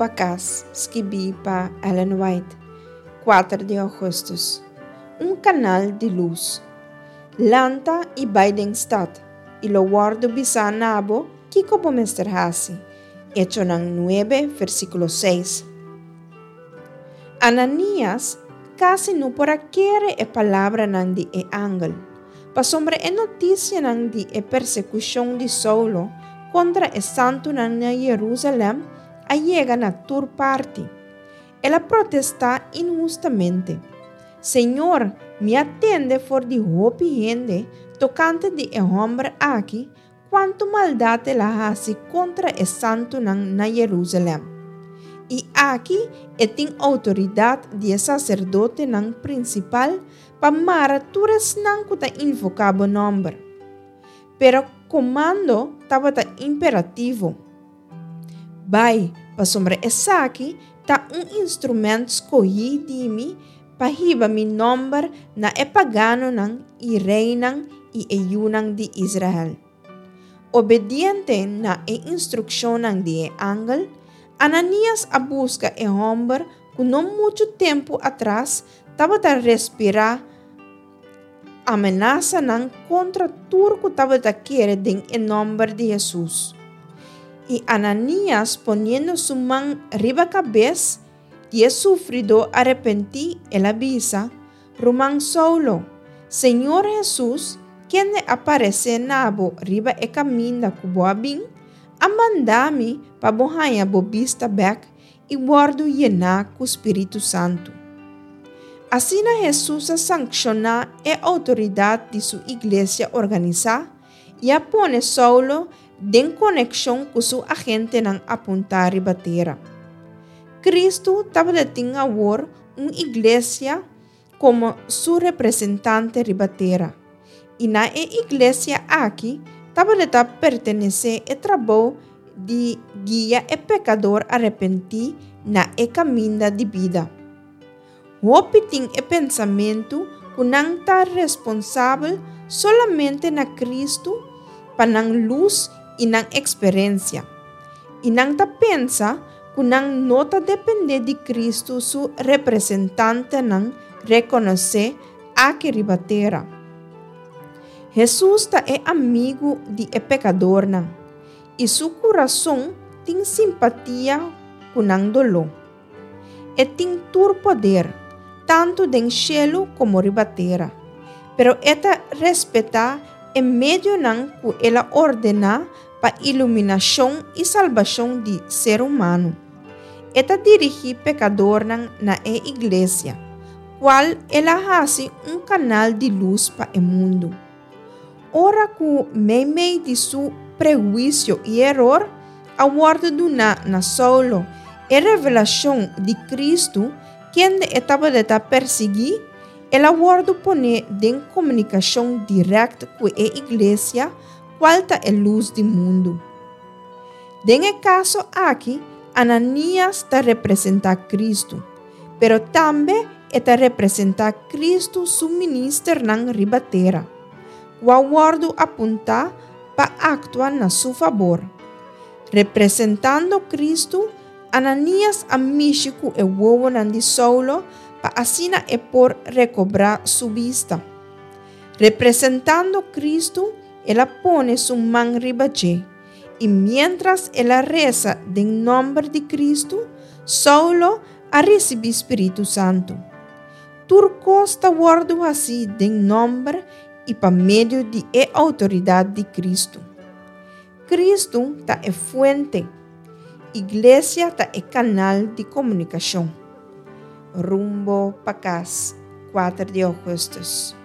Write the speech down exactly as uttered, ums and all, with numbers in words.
pa Kas, skibí pa Ellen White, kuater di ougùstùs. Un kanal di lus. Lanta i bai den stat, i lo wòrdu bisá na bo kiko bo mester hasi. Echonan nuebe, versíkulo seis. Ananias kasi no por a kere e palabranan di e angel, pasobra e notisianan di e persekushon di Saulo kontra e santunan na Jerusalèm a yega na tur parti. El a protestá inhustamente, Señor, mi a tende for di hopi hende tokante di e hòmber aki kuantu maldat el a hasi kontra e santunan na Jerusalèm. I aki e tin outoridat di e saserdotenan prinsipal pa mara tur esnan ku ta invoká bo nòmber. Pero komando tabata imperativo, Bai, pasobra esaki ta un instrumènt skohí di mi pa hiba mi nòmber na e paganonan i reinan i e yunan di Israel. Obediente na e instrukshonnan di e angel, Ananias a buska e hòmber ku no muchu tempu atras tabata respirá amenasanan kontra tur ku tabata kere den e nòmber di Hesus. I Ananias poniendo su man riba kabes di e sufridó arepentí, el a bisa, Ruman Saulo, Señor Hesus, kende a paresé na bo riba e kaminda ku bo a bin, a manda mi pa bo haña bo bista bèk i wòrdu yená ku spiritu santu. Asina Hesus a sankshoná e outoridat di su iglesia organisá i a pone Saulo den konekshon ku su agentenan apuntá riba tera. Kristu tabatin awor un iglesia komo su representante riba tera, i na e iglesia aki tabata pertenesé e trabou di guia e pekador arepentí na e kaminda di bida. Hopi tin e pensamentu ku nan ta responsabel solamente na Kristu pa nan lus i nan eksperensia. I nan ta pensa ku nan no ta dependé di Kristu su representantenan rekonosé aki riba tera. Hesus ta e amigu di e pekadornan, i su kurason tin simpatia ku nan doló. E tin tur poder, tantu den shelu komo riba tera, pero e ta respetá e medionan ku el a ordená pa iluminashon i salbashon di ser humano. E ta dirigí pekadornan na e iglesia, kual el a hasi un kanal di lus pa e mundu. Ora ku meimei di su prehuisio i eror a wòrdu duná na Saulo e revelashon di Kristu kende e tabata persiguí, el a wòrdu poné den komunikashon dirèkt ku e iglesia, kual ta e lus di mundu. Den e kaso aki, Ananias ta representá Kristu, pero tambe e ta representá Kristu su ministernan riba tera, ku a wòrdu apuntá pa aktua na su fabor. Representando Kristu, Ananias a mishi ku e wowonan di Saulo pa asina e por rekobrá su bista. Representando Kristu, el a pone su man riba dje, i miéntras el a resa den nòmber di Kristu, Saulo a risibí spiritu santu. Tur kos ta wòrdu hasí den nòmber i pa medio di e outoridat di Kristu. Kristu ta e fuente, iglesia ta e kanal di komunikashon. Rumbo pa Kas, kuater di ougùstùs.